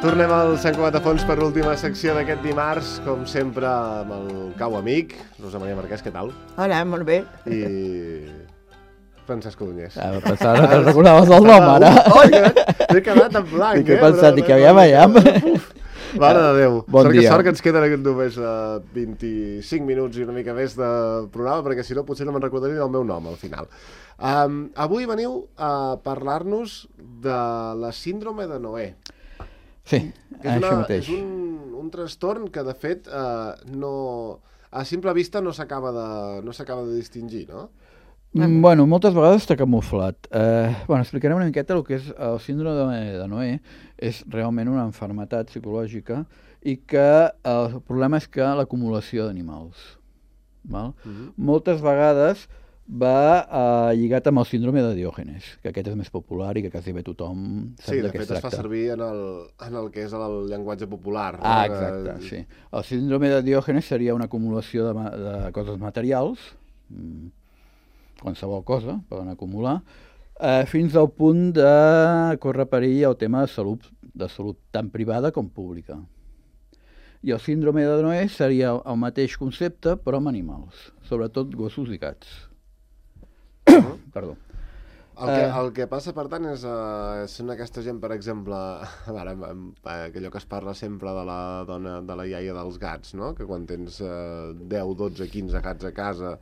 Tornem al Sant Cugat a Fons per l'última secció d'aquest dimarts, com sempre amb el cau amic, Rosa Maria Marquès, què tal? Hola, molt bé. I Francesc Codonyés. Pensava que te'n recordaves el nom, ara. M'he quedat en blanc, Dic, he pensat, dic, aviam. Mare de Déu. Bon dia. Sort que ens queden només 25 minuts i una mica més de programa, perquè si no potser no me'n recordaré el meu nom al final. Avui veniu a parlar-nos de la síndrome de Noè. Sí, això mateix. És un trastorn que, de fet, a simple vista no s'acaba de distingir, no? Bueno, moltes vegades està camuflat. Explicarem una miqueta el que és el síndrome de Noè. És realment una malaltia psicològica i que el problema és que l'acumulació d'animals. Moltes vegades va lligat amb el síndrome de Diògenes, que aquest és més popular i que quasi bé tothom sap de què es tracta. Sí, de fet es fa servir en el que és el llenguatge popular. Exacte, sí. El síndrome de Diògenes seria una acumulació de coses materials, qualsevol cosa poden acumular, fins al punt de córrer perill el tema de salut tant privada com pública. I el síndrome de Noè seria el mateix concepte, però amb animals, sobretot gossos i gats. Perdó. El que passa, per tant, són aquesta gent, per exemple, allò que es parla sempre de la dona, de la iaia dels gats, no? Que quan tens 10, 12, 15 gats a casa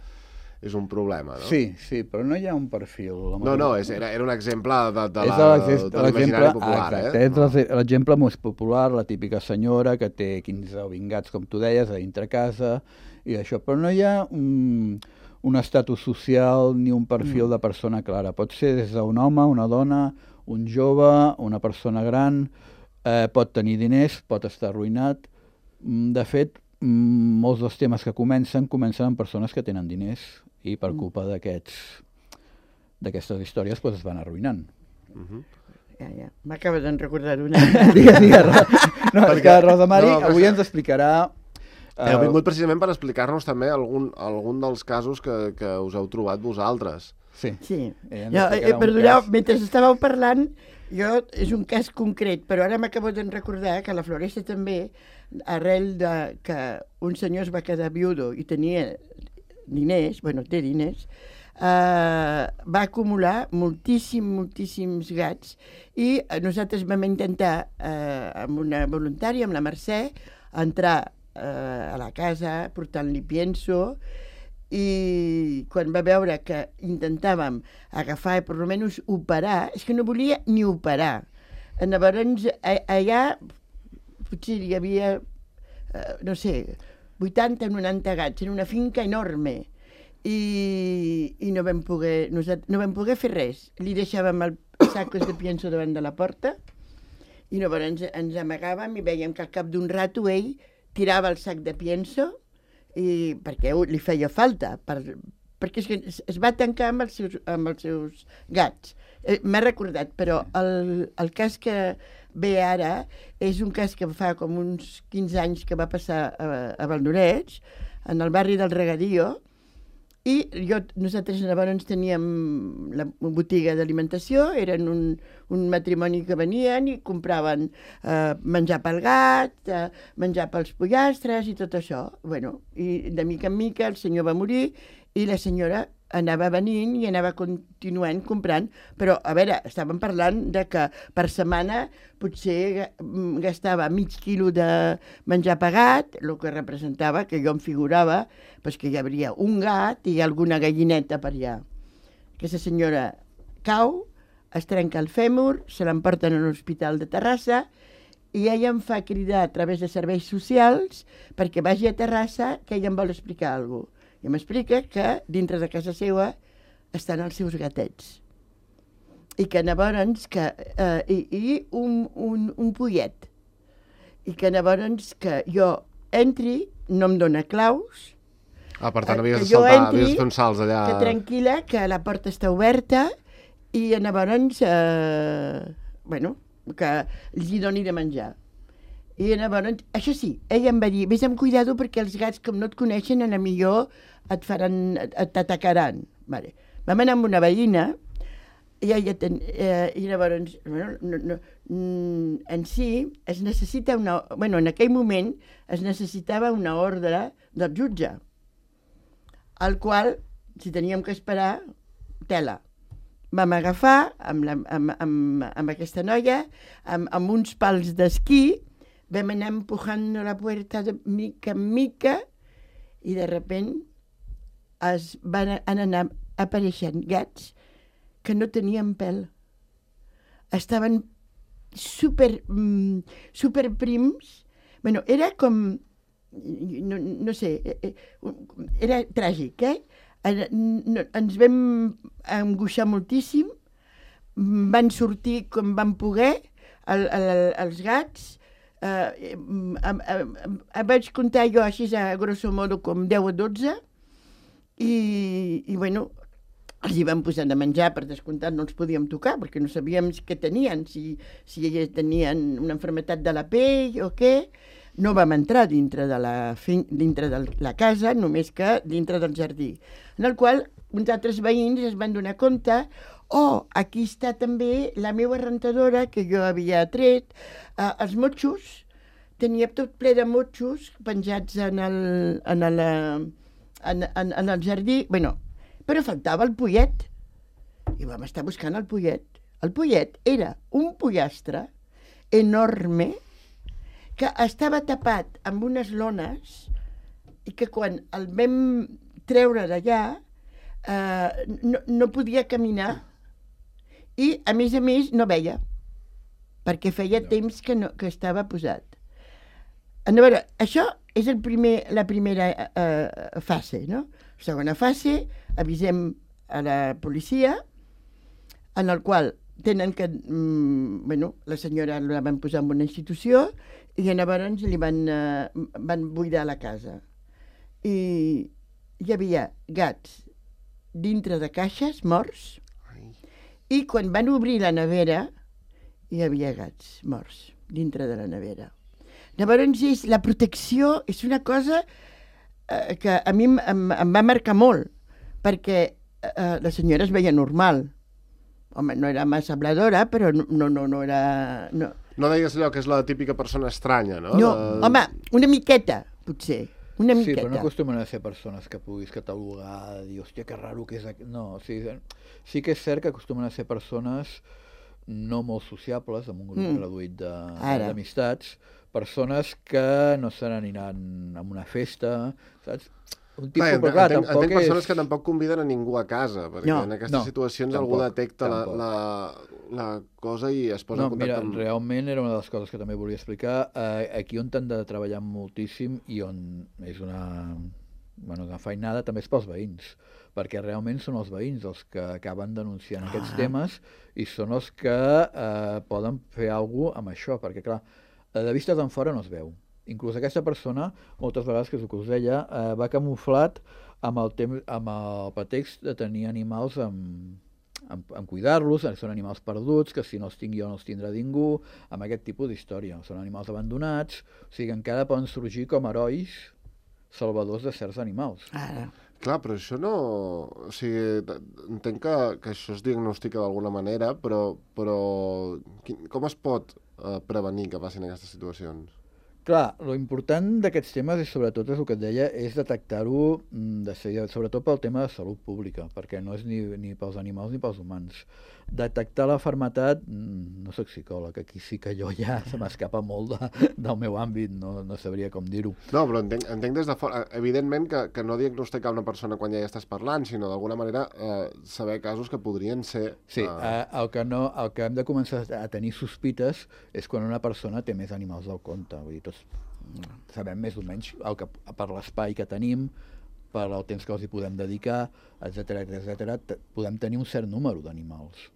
és un problema, no? Sí, però no hi ha un perfil. No, era un exemple de l'imaginari popular. Exacte, és l'exemple més popular, la típica senyora que té 15 o 20 gats, com tu deies, a dintre casa, i això, però no hi ha un estatus social ni un perfil de persona clara. Pot ser des d'un home, una dona, un jove, una persona gran, pot tenir diners, pot estar arruïnat. De fet, molts dels temes que comencen amb persones que tenen diners i per culpa d'aquestes històries es van arruïnant. Ja. M'acaba de recordar una. Digues. No, és que Rosa Mari avui ens explicarà. Heu vingut precisament per explicar-nos també algun dels casos que us heu trobat vosaltres. Sí. Perdoneu, mentre estàveu parlant, és un cas concret, però ara m'acabo de recordar que a la Floresta també, arrel de que un senyor es va quedar viudo i tenia diners, té diners, va acumular moltíssims gats i nosaltres vam intentar, amb una voluntària, amb la Mercè, entrar a la casa portant-li pienso, i quan va veure que intentàvem agafar i per almenys operar, és que no volia ni operar. Llavors allà potser hi havia 80 o 90 gats en una finca enorme i no vam poder fer res. Li deixàvem els sacos de pienso davant de la porta i llavors ens amagàvem i veiem que al cap d'un rato ell tirava el sac de pienso perquè li feia falta, perquè es va tancar amb els seus gats. M'ha recordat, però el cas que ve ara és un cas que fa com uns 15 anys que va passar a Valldoreix, en el barri del Regadío, i nosaltres llavors teníem la botiga d'alimentació, eren un matrimoni que venien i compraven menjar pel gat, menjar pels pollastres i tot això. I de mica en mica el senyor va morir i la senyora anava venint i anava continuant comprant, però a veure, estàvem parlant de que per setmana potser gastava mig quilo de menjar pagat, el que representava, que jo em figurava, que hi hauria un gat i alguna gallineta per allà. Aquesta senyora cau, es trenca el fèmur, se l'emporten a l'Hospital de Terrassa i ella em fa cridar a través de serveis socials perquè vagi a Terrassa, que ella em vol explicar alguna cosa. I m'explica que dintre de casa seva estan els seus gatets. I que llavors un pollet. I que llavors que jo entri, no em dóna claus. Per tant, havies de fer uns salts allà. Que tranquil·la, que la porta està oberta i llavors, que els hi doni de menjar. I llavors, això sí, ella em va dir, vés amb cuidado perquè els gats, com no et coneixen, a la millor t'atacaran. Vam anar amb una veïna I llavors, en si, es necessita en aquell moment es necessitava una ordre del jutge, al qual, si teníem que esperar, tela. Vam agafar amb aquesta noia, amb uns pals d'esquí, vam anar empujant la puerta de mica en mica i de sobte van anar apareixent gats que no tenien pèl. Estaven super prims. Bueno, era com... No sé, era tràgic, ens vam angoixar moltíssim, van sortir com van poder els gats, vaig comptar jo així a grosso modo com 10 o 12 i bueno, els hi vam posar de menjar, per descomptat no els podíem tocar perquè no sabíem què tenien, si elles tenien una malaltia de la pell o què. No vam entrar dintre de la casa, només que dintre del jardí, en el qual uns altres veïns es van donar compte aquí està també la meva rentadora que jo havia tret, els motxos, tenia tot ple de motxos penjats en el jardí, però faltava el pollet, i vam estar buscant el pollet. El pollet era un pollastre enorme que estava tapat amb unes lones i que quan el vam treure d'allà no podia caminar i, a més, no veia, perquè feia temps que estava posat. A veure, això és la primera fase, no? Segona fase, avisem a la policia, en el qual tenen que... la senyora la van posar en una institució i llavors li van buidar la casa. I hi havia gats dintre de caixes morts i quan van obrir la nevera hi havia gats morts dintre de la nevera. Llavors la protecció és una cosa que a mi em va marcar molt, perquè la senyora es veia normal. Home, no era massa habladora, però no era... No deies allò que és la típica persona estranya, no? No, home, una miqueta, potser. Una miqueta. Sí, però no acostumen a ser persones que puguis catalogar, dir, hòstia, que raro que és... No, sí que és cert que acostumen a ser persones no molt sociables, amb un grup reduït d'amistats, persones que no se n'aniran a una festa, saps? Entenc persones que tampoc conviden a ningú a casa, perquè en aquestes situacions algú detecta la cosa i es posa en contacte amb... Mira, realment era una de les coses que també volia explicar. Aquí on han de treballar moltíssim i on és una feinada també és pels veïns, perquè realment són els veïns els que acaben denunciant aquests temes i són els que poden fer alguna cosa amb això, perquè clar, de vista d'en fora no es veu. Inclús aquesta persona, moltes vegades, que és el que us deia, va camuflat amb el pretext de tenir animals en cuidar-los, són animals perduts, que si no els tinc jo no els tindrà ningú, amb aquest tipus d'història. Són animals abandonats, o sigui, encara poden sorgir com herois salvadors de certs animals. Clar, però això no... O sigui, entenc que això es diagnostica d'alguna manera, però com es pot prevenir que passin aquestes situacions? Clar, lo important d'aquests temes és, sobretot, és el que et deia, és detectar-ho, sobretot pel tema de salut pública, perquè no és ni pels animals ni pels humans. Detectar la malaltia, no soc psicòleg, aquí sí que jo ja se m'escapa molt del meu àmbit, no sabria com dir-ho. No, però entenc des de fora, evidentment que no diagnosticar una persona quan ja hi estàs parlant, sinó d'alguna manera saber casos que podrien ser... Sí, el que hem de començar a tenir sospites és quan una persona té més animals del compte, vull dir, sabem més o menys per l'espai que tenim, per el temps que els hi podem dedicar, etc. Podem tenir un cert número d'animals.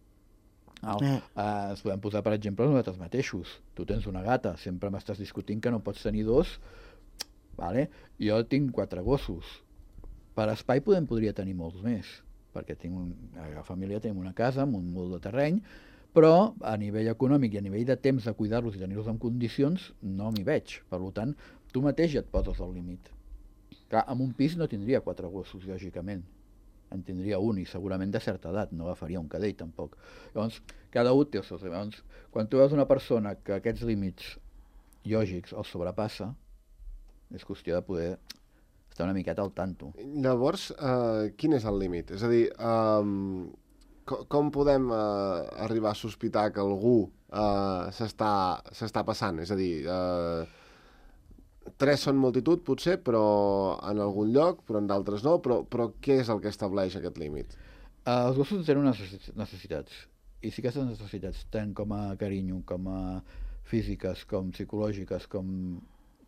Ens podem posar, per exemple, nosaltres mateixos. Tu tens una gata, sempre m'estàs discutint que no pots tenir 2, vale? Jo tinc 4 gossos. Per espai podria tenir molts més, perquè a la família tenim una casa amb un molt de terreny, però a nivell econòmic i a nivell de temps de cuidar-los i tenir-los en condicions no m'hi veig. Per tant, tu mateix ja et poses al límit. Clar, en un pis no tindria 4 gossos, lògicament. en tindria un i segurament de certa edat, no agafaria un cadell tampoc. Llavors, cada un té els seus límits. Quan tu veus una persona que aquests límits lògics els sobrepassa, és qüestió de poder estar una miqueta al tanto. Llavors, quin és el límit? És a dir, com podem arribar a sospitar que algú s'està passant? És a dir, 3 són multitud, potser, però en algun lloc, però en d'altres no, però què és el que estableix aquest límit? Els gossos tenen unes necessitats, i si aquestes necessitats, tant com a carinyo, com a físiques, com psicològiques, com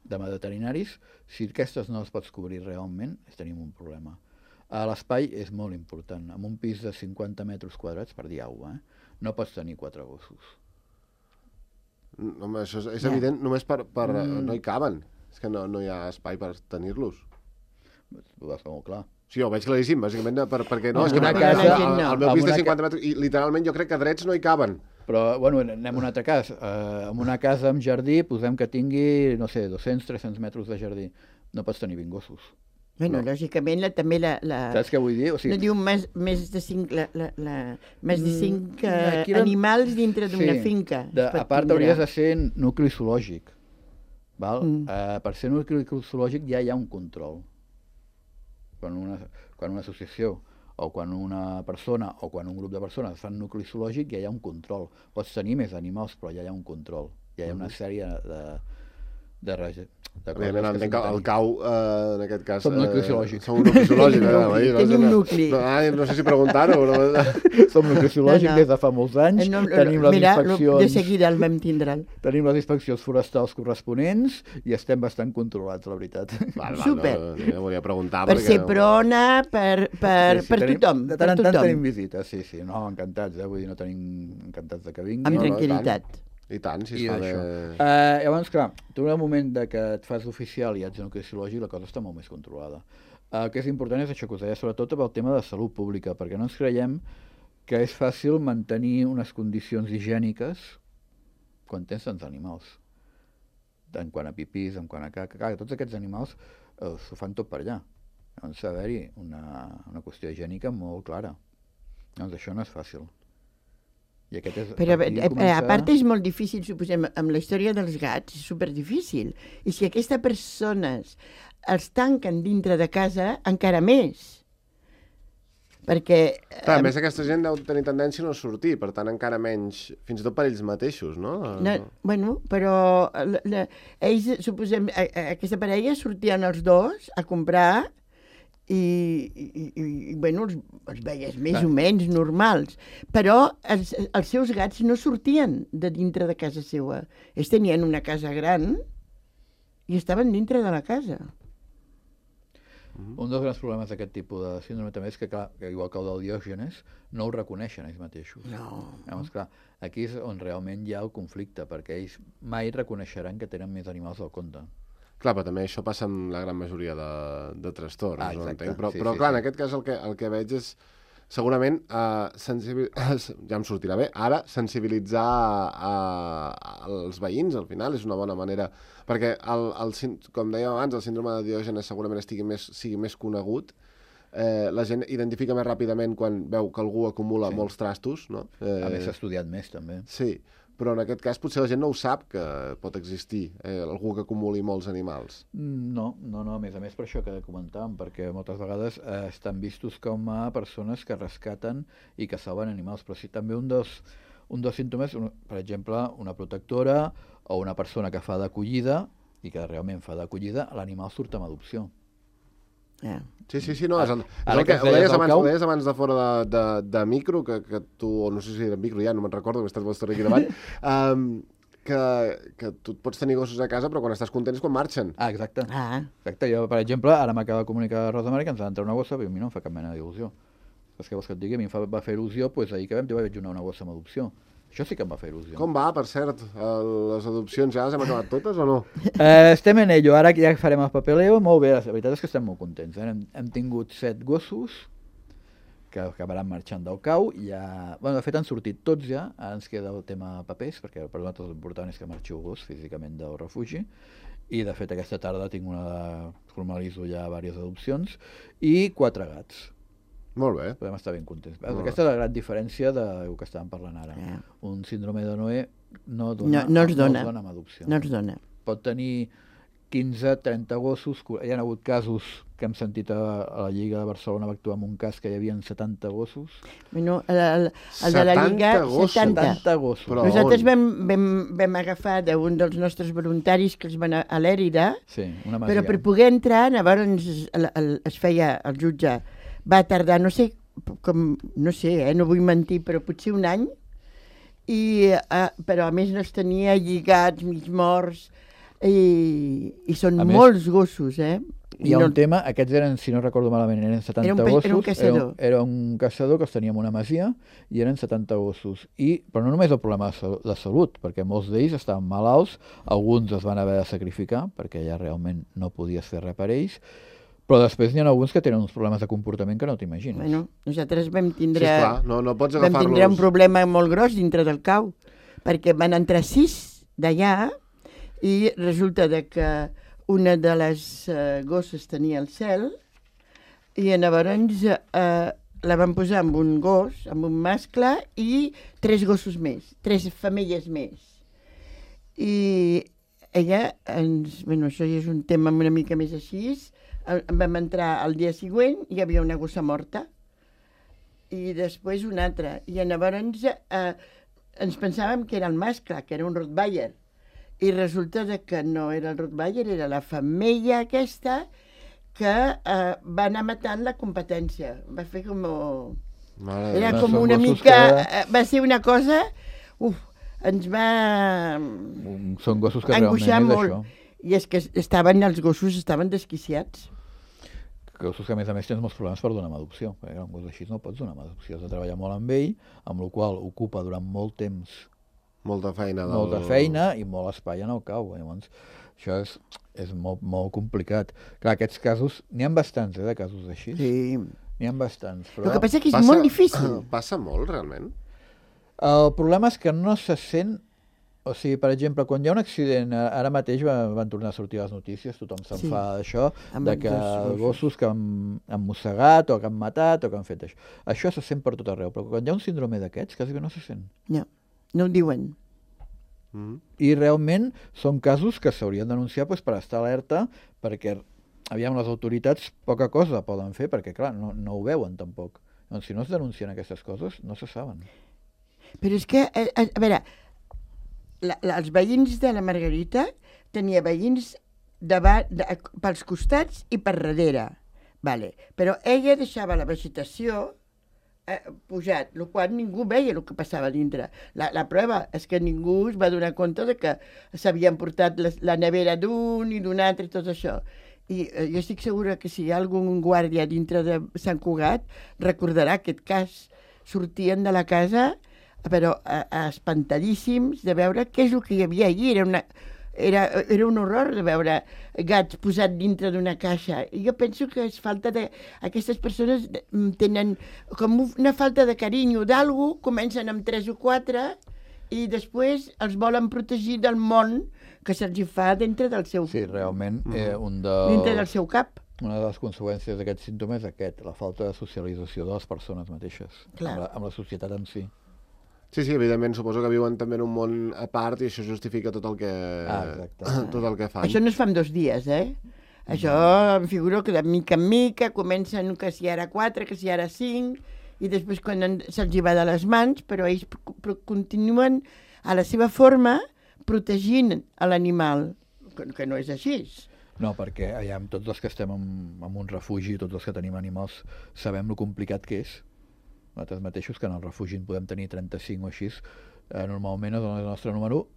de veterinaris, si aquestes no les pots cobrir realment, tenim un problema. L'espai és molt important. En un pis de 50 metres quadrats, per dir alguna cosa, no pots tenir 4 gossos. Home, això és evident, només no hi caben. És que no hi ha espai per tenir-los. Ho vas fer molt clar. Sí, ho veig claríssim, bàsicament, perquè no, és que al meu pis de 50 metres, i literalment jo crec que drets no hi caben. Però, bueno, anem a un altre cas. En una casa amb jardí, posem que tingui, no sé, 200-300 metres de jardí. No pots tenir 20 gossos. Bueno, lògicament, també la... Saps què vull dir? No diu més de 5 animals dintre d'una finca. A part, hauries de ser nucli zoològic. Per ser nucli zoològic ja hi ha un control. Quan una associació o quan una persona o quan un grup de persones fan nucli zoològic ja hi ha un control. Pots tenir més animals, però ja hi ha un control. Ja hi ha una sèrie de coses. Evidentment, entenc que el cau, en aquest cas... Som nucli zoològic. Som un nucli zoològic. Tenim un nucli. No sé si preguntar-ho, però... Som nucli zoològic des de fa molts anys. Tenim les inspeccions... De seguida el vam tindre. Tenim les inspeccions forestals corresponents i estem bastant controlats, la veritat. Súper. No volia preguntar per ser prona, per tothom. De tant en tant tenim visites, sí. No, encantats, vull dir, no tenim encantats de que vinguin. Amb tranquil·litat. I tant, si es fa bé... Llavors, clar, tu en el moment que et fas oficial i ets nucli zoològic, la cosa està molt més controlada. El que és important és això que us deia, sobretot pel tema de salut pública, perquè no ens creiem que és fàcil mantenir unes condicions higièniques quan tens tants animals. En quant a pipís, en quant a caca, tots aquests animals s'ho fan tot per allà. Llavors, ha d'haver-hi una qüestió higiènica molt clara. Llavors, això no és fàcil. Però a part és molt difícil, suposem, amb la història dels gats, és superdifícil. I si aquestes persones els tanquen dintre de casa, encara més. Perquè... Clar, a més aquesta gent deu tenir tendència a no sortir, per tant encara menys, fins i tot per ells mateixos, no? Bueno, però ells, suposem, aquesta parella sortien els dos a comprar i bueno, els veies més o menys normals, però els seus gats no sortien de dintre de casa seva. Ells tenien una casa gran i estaven dintre de la casa. Un dels grans problemes d'aquest tipus de síndrome també és que, clar, igual que el del Diògenes, no ho reconeixen ells mateixos. No. Llavors, clar, aquí és on realment hi ha el conflicte, perquè ells mai reconeixeran que tenen més animals del compte. Clar, però també això passa amb la gran majoria de trastorns, no entenc? Però clar, en aquest cas el que veig és segurament, ja em sortirà bé, ara sensibilitzar els veïns, al final, és una bona manera, perquè, com dèiem abans, el síndrome de Diògenes segurament sigui més conegut, la gent identifica més ràpidament quan veu que algú acumula molts trastos, no? A més, s'ha estudiat més, també. Sí, però en aquest cas potser la gent no ho sap que pot existir algú que acumuli molts animals. No, a més per això que comentàvem, perquè moltes vegades estan vistos com a persones que rescaten i que salven animals, però sí també un dels símptomes, per exemple, una protectora o una persona que fa d'acollida i que realment fa d'acollida, l'animal surt amb adopció. Sí, no, és el que ho deies abans de fora de micro, que tu, no sé si era micro ja, no me'n recordo, que he estat molt estona aquí davant, que tu et pots tenir gossos a casa, però quan estàs content és quan marxen. Exacte. Exacte. Jo, per exemple, ara m'acaba de comunicar Rosa Mare que ens ha d'entrar una gossa, i a mi no em fa cap mena d'il·lusió. És que vols que et digui, a mi em va fer il·lusió, doncs ahir que vam dir, vaig donar una gossa amb adopció. Això sí que em va fer il·lusió. Com va, per cert? Les adopcions ja les hem acabat totes o no? Estem en ello, ara que ja farem el papeleo, molt bé, la veritat és que estem molt contents. Hem tingut 7 gossos que acabaran marxant del cau, de fet han sortit tots ja, ara ens queda el tema papers, perquè per nosaltres l'important és que marxi el gos físicament del refugi, i de fet aquesta tarda formalitzo ja diverses adopcions, i 4 gats. Molt bé. Podem estar ben contents. Aquesta és la gran diferència del que estàvem parlant ara. Un síndrome de Noé no els dona amb adopció. No els dona. Pot tenir 15, 30 gossos. Hi ha hagut casos que hem sentit a la Lliga de Barcelona, va actuar en un cas que hi havia 70 gossos. Bueno, el de la Lliga, 70 gossos. Però nosaltres vam agafar d'un dels nostres voluntaris que els van a l'Èrida, però per poder entrar, llavors es feia, el jutge va tardar, no sé, no vull mentir, però potser un any, però a més no els tenia lligats, mig morts, i són molts gossos, Hi ha un tema, aquests eren, si no recordo malament, eren 70 gossos. Era un caçador. Era un caçador que els teníem una masia i eren 70 gossos. Però no només el problema de salut, perquè molts d'ells estaven malalts, alguns es van haver de sacrificar, perquè ja realment no podies fer res per ells, però després n'hi ha alguns que tenen uns problemes de comportament que no t'imagines. Bueno, nosaltres vam tindre, no pots vam tindre un problema molt gros dintre del cau, perquè van entrar 6 d'allà i resulta que una de les gosses tenia el cel i llavors la van posar amb un gos, amb un mascle i 3 gossos més, 3 femelles més. I ella, això ja és un tema una mica més així, vam entrar el dia següent i hi havia una gossa morta i després una altra. I llavors ens pensàvem que era el mascle, que era un Rottweiler. I resulta que no era el Rottweiler, era la femella aquesta que va anar matant la competència. Va fer com... Era com una mica... Va ser una cosa... Ens va... Són gossos que realment és molt. Això. I és que els gossos estaven desquiciats. Gossos que a més tens molts problemes per donar amb adopció. Perquè un gos així no pots donar amb adopció. Has de treballar molt amb ell, amb la qual ocupa durant molt temps molta feina i molt espai en el cau. Llavors, això és molt complicat. Clar, aquests casos, n'hi ha bastants, de casos així. Sí. N'hi ha bastants. Però... El que passa és que és molt difícil. Passa molt, realment? El problema és que no se sent... O sigui, per exemple, quan hi ha un accident, ara mateix van tornar a sortir les notícies, tothom se'n fa d'això, de que gossos que han mossegat o que han matat o que han fet això. Això se sent per tot arreu, però quan hi ha un síndrome d'aquests, quasi que no se sent. No ho diuen. I realment són casos que s'haurien d'anunciar per estar alerta, perquè les autoritats poca cosa poden fer, perquè clar, no ho veuen tampoc. Doncs si no es denuncien aquestes coses, no se saben. Però és que, a veure, els veïns de la Margarita tenia veïns pels costats i per darrere. Però ella deixava la vegetació pujat, el qual ningú veia el que passava dintre. La prova és que ningú es va donar compte de que s'havien portat la nevera d'un i d'un altre i tot això. I jo estic segura que si hi ha algun guàrdia dintre de Sant Cugat recordarà aquest cas. Sortien de la casa, però espantadíssims de veure què és el que hi havia allí. Era un horror de veure gats posats dintre d'una caixa. I jo penso que és falta de... Aquestes persones tenen com una falta de carinyo d'algú, comencen amb 3 o 4 i després els volen protegir del món que se'ls fa dintre del seu... Sí, realment, dintre del seu cap. Una de les conseqüències d'aquest símptoma és la falta de socialització de les persones mateixes, amb la societat en si. Sí, evidentment, suposo que viuen també en un món a part i això justifica tot el que fan. Això no es fa en 2 dies, Això em figuro que de mica en mica comencen que si ara 4, que si ara 5, i després quan se'ls va de les mans, però ells continuen a la seva forma protegint l'animal, que no és així. No, perquè tots els que estem en un refugi, tots els que tenim animals, sabem lo complicat que és. Nosaltres mateixos, que en el refugi en podem tenir 35 o així, normalment és el nostre número,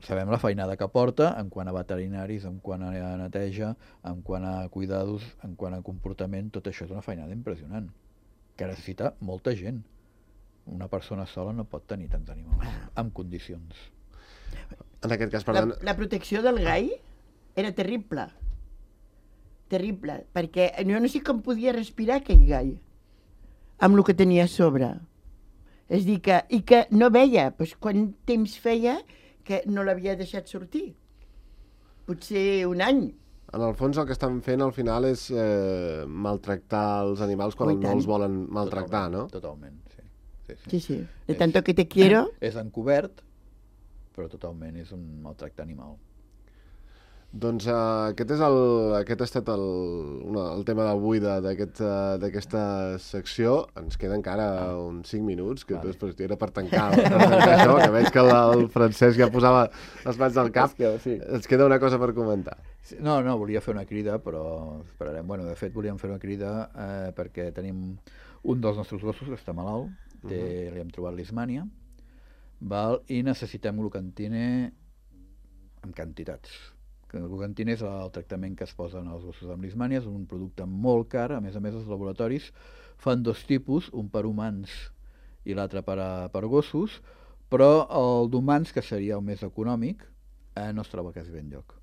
sabem la feinada que porta en quant a veterinaris, en quant a neteja, en quant a cuidados, en quant a comportament, tot això és una feinada impressionant, que necessita molta gent. Una persona sola no pot tenir tants animals, en condicions. En aquest cas, per tant... La protecció del gai era terrible, perquè jo no sé com podia respirar aquell gai, amb el que tenia a sobre. És dir, i que no veia, doncs quant temps feia que no l'havia deixat sortir. Potser un any. En el fons el que estan fent al final és maltractar els animals quan no els volen maltractar, no? Totalment, sí. Sí. De tanto que te quiero... És encobert, però totalment és un maltracte animal. Doncs aquest ha estat el tema d'avui d'aquesta secció. Ens queda encara uns 5 minuts, que després era per tancar això, que veig que el Francesc ja posava les mans al cap. Ens queda una cosa per comentar. No, volia fer una crida, però esperarem. Bueno, de fet, volíem fer una crida perquè tenim un dels nostres gossos que està malalt, li hem trobat lismània, i necessitem glucantine en quantitats. El glucantine és el tractament que es posa en els gossos amb lismània, és un producte molt car, a més els laboratoris fan 2 tipus, un per humans i l'altre per gossos, però el d'humans, que seria el més econòmic, no es troba quasi bé enlloc.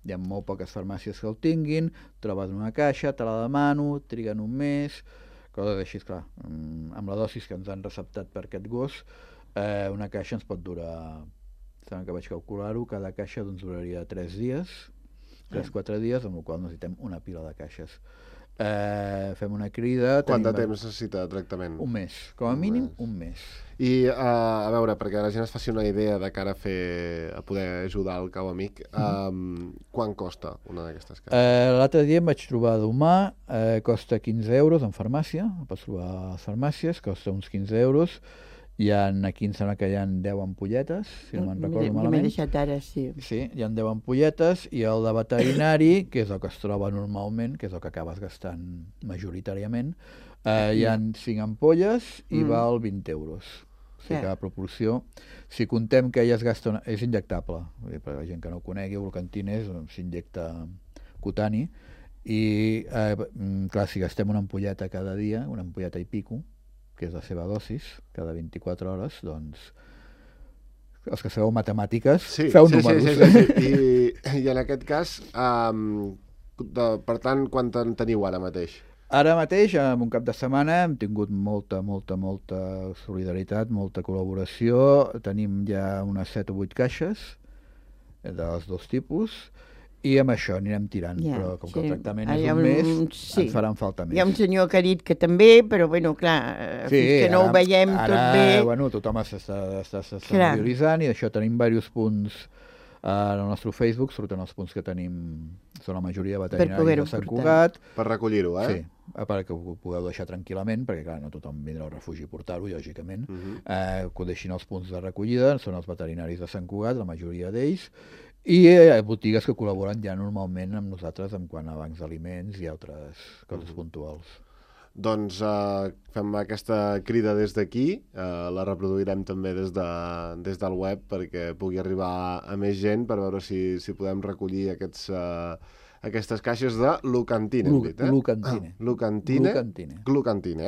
Hi ha molt poques farmàcies que el tinguin, trobes una caixa, te la demano, triguen un mes, coses així, clar. Amb la dosis que ens han receptat per aquest gos, una caixa ens pot durar... Sembla que vaig calcular-ho, cada caixa duraria 3 dies, 3-4 dies, amb la qual necessitem una pila de caixes. Fem una crida... Quant de temps necessita de tractament? Un mes, com a mínim un mes. I a veure, perquè la gent es faci una idea de cara a poder ajudar el cau amic, quant costa una d'aquestes caixes? L'altre dia em vaig trobar d'humà, costa 15 euros en farmàcia, el pots trobar a les farmàcies, costa uns 15 euros, aquí em sembla que hi ha 10 ampolletes, si no me'n recordo malament. M'he deixat ara, sí. Sí, hi ha 10 ampolletes, i el de veterinari, que és el que es troba normalment, que és el que acabes gastant majoritàriament, hi ha 5 ampolles i val 20 euros. O sigui que la proporció, si contem que ella es gasta... És injectable, per la gent que no ho conegui, el glucantine s'injecta cutani, i clar, si gastem una ampolleta cada dia, una ampolleta i pico, que és la seva dosis, cada 24 hores, doncs, els que sabeu matemàtiques, feu números. Sí. I en aquest cas, per tant, quant en teniu ara mateix? Ara mateix, en un cap de setmana, hem tingut molta solidaritat, molta col·laboració. Tenim ja unes 7 o 8 caixes dels 2 tipus, i amb això anirem tirant, però com que el tractament és un mes, ens faran falta més. Hi ha un senyor que ha dit que també, però bueno, clar, fins que no ho veiem tot bé... Bueno, tothom s'està prioritzant, i d'això tenim diversos punts al nostre Facebook, surten els punts que tenim, són la majoria de veterinaris de Sant Cugat. Per recollir-ho, Sí, perquè ho pugueu deixar tranquil·lament, perquè clar, no tothom vindrà al refugi a portar-ho, lògicament, que ho deixin els punts de recollida, són els veterinaris de Sant Cugat, la majoria d'ells, i botigues que col·laboren ja normalment amb nosaltres en quant a bancs d'aliments i altres coses puntuals. Doncs fem aquesta crida des d'aquí, la reproduirem també des del web perquè pugui arribar a més gent, per veure si podem recollir aquestes caixes de glucantine. Glucantine,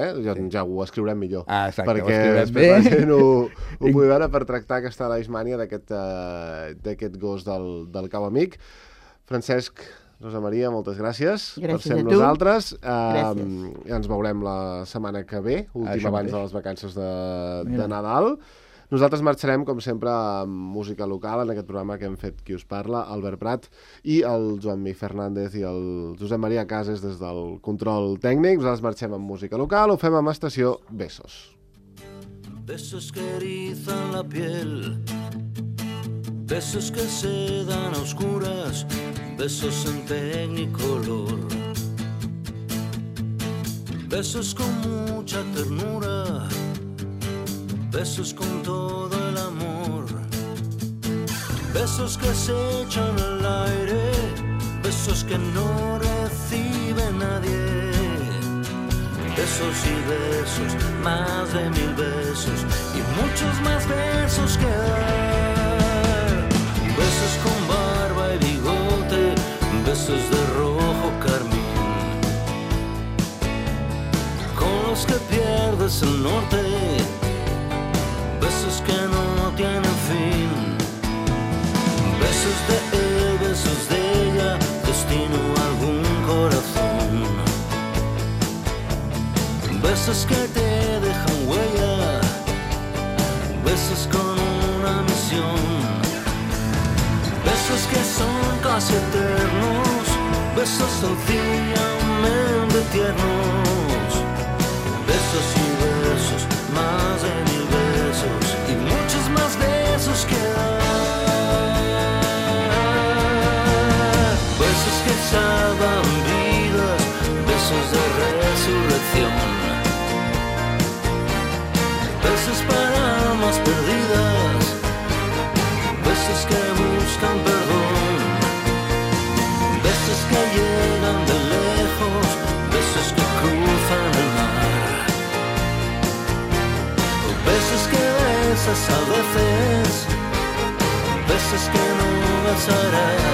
ja ho escriurem millor. Exacte, perquè després la gent ho pugui veure per tractar aquesta leishmània d'aquest gos del cau amic. Francesc, Rosa Maria, moltes gràcies per ser amb nosaltres. Ens veurem la setmana que ve, últim abans de les vacances de Nadal. Nosaltres marxarem, com sempre, amb música local, en aquest programa que hem fet Qui us parla, Albert Prat i el Joan-Mi Fernández i el Josep Maria Cases des del control tècnic. Nosaltres marxem amb música local, ho fem amb Estació Besos. Besos que erizan la piel, besos que se dan a oscuras, besos en tecnicolor, besos con mucha ternura, besos con todo el amor, besos que se echan al aire, besos que no recibe nadie, besos y besos, más de 1000 besos y muchos más besos que dar, besos con barba y bigote, besos de rojo carmín, con los que pierdes el norte, besos que no tienen fin, besos de él, besos de ella, destino a algún corazón, besos que te dejan huella, besos con una misión, besos que son casi eternos, besos sencillamente tiernos, besos y besos, más de 1000 besos y muchos más besos que dar. Besos que salvan vidas, besos de resurrección, besos para almas perdidas, besos que buscan perdón, besos que llegan de lejos, besos que cruzan el mar, besos que besas a veces, besos que no besarás.